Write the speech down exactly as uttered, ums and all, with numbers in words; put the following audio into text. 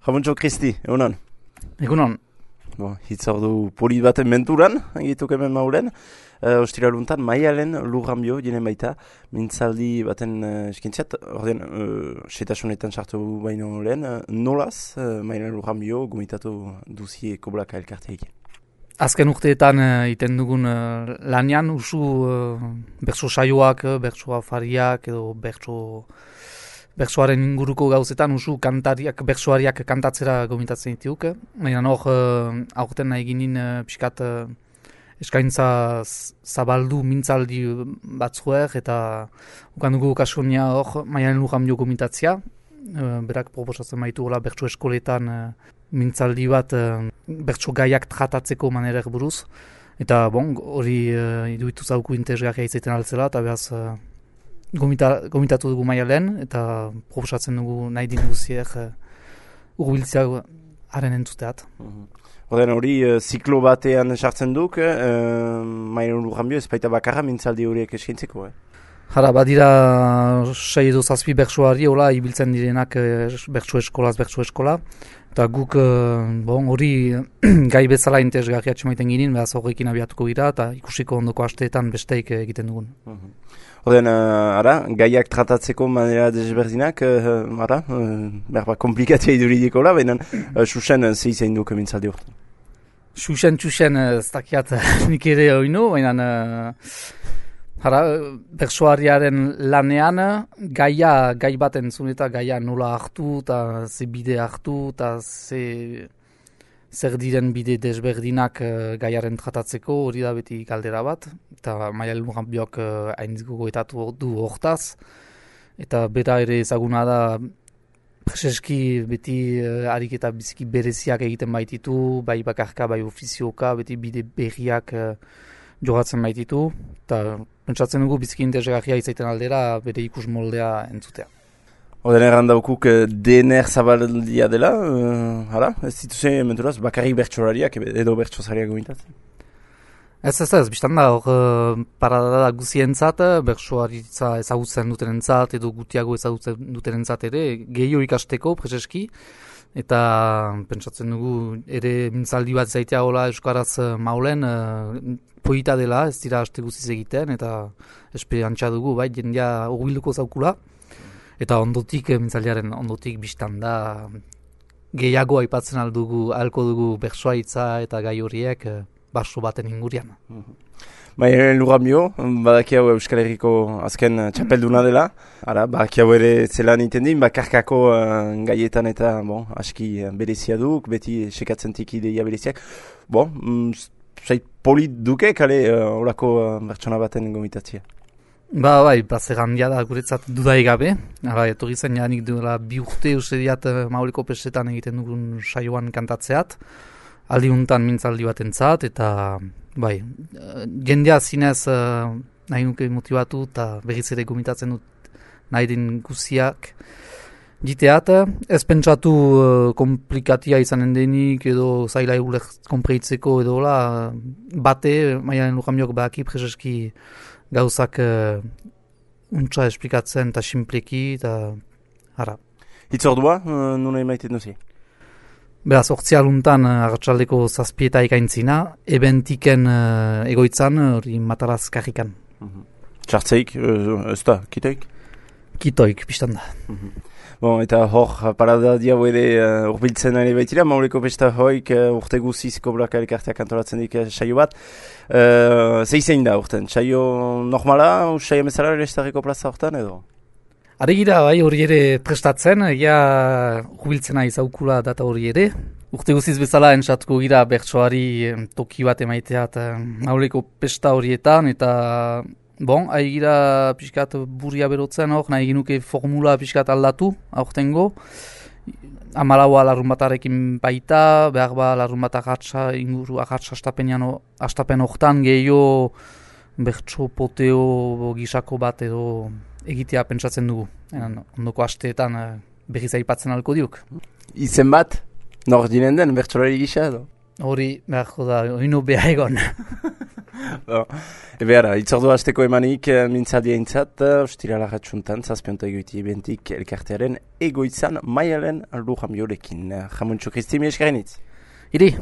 Jamuntxo Kristi, egunon? Egunon. Bo, hitzordu polit baten menturan, egituk hemen maulen. Uh, Ostiraluntan, Maialen Lurranbio, jenen baita, mintzaldi baten uh, eskintzat, ordean, uh, setasunetan sartu baino lehen, uh, nolaz, uh, Maialen Lurranbio gomitatu duzie koblaka elkarteik. Azken urteetan uh, iten dugun uh, lanian, usu uh, bertso saioak, bertso afariak, edo bertso... Bertsoaren inguruko gauzetan usu kantariak, bertsoariak kantatzera gomitatzen dituke. Baina hor, uh, aurten nahi ginen uh, pixkat uh, eskaintza zabaldu mintzaldi batzuek eta ukan dugu kaskonia hor Maialen Lurranbio gomitatzea. Uh, berak proposatzen baitu hola bertso eskoletan uh, mintzaldi bat uh, bertso gaiak tratatzeko manerek buruz. Eta bon, hori uh, iduitu zauku interesgarria izaiten altzela eta behaz... Uh, Gomita, gomitatu dugu Maialen eta proposatzen dugu nahi din guziek uh, urbiltzea haren entzuteat. Horren hori, uh, ziklo batean sartzen duk, uh, Maialen Lurranbio ez baita bakarra mintzaldi horiek eskintzeko, eh? Jara, badira sei edo zazpi bertsoari, hola, ibiltzen direnak uh, bertso eskolaz, bertso eskola. Eta guk uh, bon, hori gai bezala interesgarria txemaiten ginen, behaz horrekin abiatuko gira eta ikusiko ondoko asteetan besteik egiten dugun. Uh-huh. Horren, uh, ara, gaiak tratatzeko manera desberdinak, uh, ara, uh, berba komplikatzea iduridiko la, baina uh, Xuxen uh, zehizein duk mintzaldi horretan. Xuxen, Xuxen, ez dakiat nik ere oinu, baina uh, ara, bertsoariaren lanean gaia, gai bat entzun eta gaia nola hartu, eta ze bide hartu, eta ze... zer diren bide desberdinak uh, gaiaren tratatzeko, hori da beti galdera bat, eta Maialen Lurranbiok uh, haintziko goetatu du hortaz, eta bera ere ezaguna da preseski beti uh, ariketa biziki bereziak egiten baititu, bai bakarka, bai ofizioka, beti bide berriak uh, jogatzen baititu, eta pentsatzen dugu biziki interesgarria izaiten aldera bere ikus moldea entzutea. Oden errandaukuk D N R zabaldia dela, uh, hala, ez dituze menturaz, bakarrik bertsolariak edo bertsozariak gomitatzen? Ez ez ez, biztan da, hor uh, parada da guzientzat, bertsoaritza ezagutzen dutenentzat edo gutiago ezagutzen dutenentzat ere, gehiago ikasteko, preseski, eta pentsatzen dugu ere mintzaldi bat zaitea hola euskaraz uh, maulen, uh, poita dela, ez dira aste guziz egiten, eta esperantza dugu, bai, jendea hurbilduko zaukula. Eta ondotik, mintzaldiaren ondotik biztan da, gehiago aipatzen aldugu, ahalko dugu bertsoaritza eta gai horiek baso baten ingurian. Maialen Lurranbio, badaki hau Euskal Herriko azken txapelduna dela. Ara, badaki hau ere zelan iten din, bakarkako uh, gaietan eta bon, aski berezia duk, beti sekatzen tiki ideia bereziak. Bon, mm, zait polit duke, kale uh, orako uh, bertsona baten gomitatzea. Ba, bai, bazer handia da guretzat dudai gabe. Hala, etorri zen janik duela bi urte usediat Mauleko Pesetan egiten dugun saioan kantatzeat. Aldi untan mintzaldi bat entzat, eta bai, jendea zinez uh, nahi nuke motibatu eta berriz ere gomitatzen dut nahi den guziak jiteat. Ez pentsatu uh, komplikatia izanen denik edo zaila egulek konpreitzeko edo la, bate, Maialen Lurranbiok badaki preseski gauzak uh, untsa esplikatzen eta simpleki eta ara. Hitzordua, uh, nuna emaiten duzi? Beraz, ortzialuntan uh, arratsaldeko zazpieta ikaintzina, ebentiken uh, egoitzan, hori uh, Mataraz karrikan. Uh-huh. Txartzeik, uh, ez da, kitoik? Kitoik, biztan da. Uh-huh. Bon, eta hor, parada diau ere uh, urbiltzen ere baitira, Mauleko Pesta hoik uh, urte guziz koblaka elkarteak antolatzen dik uh, saio bat. Uh, Zeizein da urten, saio normala, saio bezala ere estarriko plaza hortan edo? Are gira, bai, hori ere prestatzen, ja urbiltzena izaukula data hori ere. Urte guziz bezala entsatuko gira bertsoari toki bat emaiteat uh, Mauleko Pesta horietan, eta... Bon, ahi gira pixkat burria berotzen hor, nahi ginuke formula pixkat aldatu, aurtengo. Amalaua larrun batarekin baita, behar ba larrun bat agatsa inguru, agatsa astapen hortan gehiago bertso poteo gisako bat edo egitea pentsatzen dugu. Enan, ondoko asteetan berriz aipatzen alko diuk. Izen bat, nor dinen den bertsolari gisa edo? Hori beharko da, oino beha egon. Bon. Ebe ara, itzordu hasteko emanik mintzaldia intzat, ostirala ratxuntan, zazpionta egoiti ebentik elkartearen egoitzan maialen Lujambiorekin. Jamuntxo Kristi, mi eskarenitz. Iri.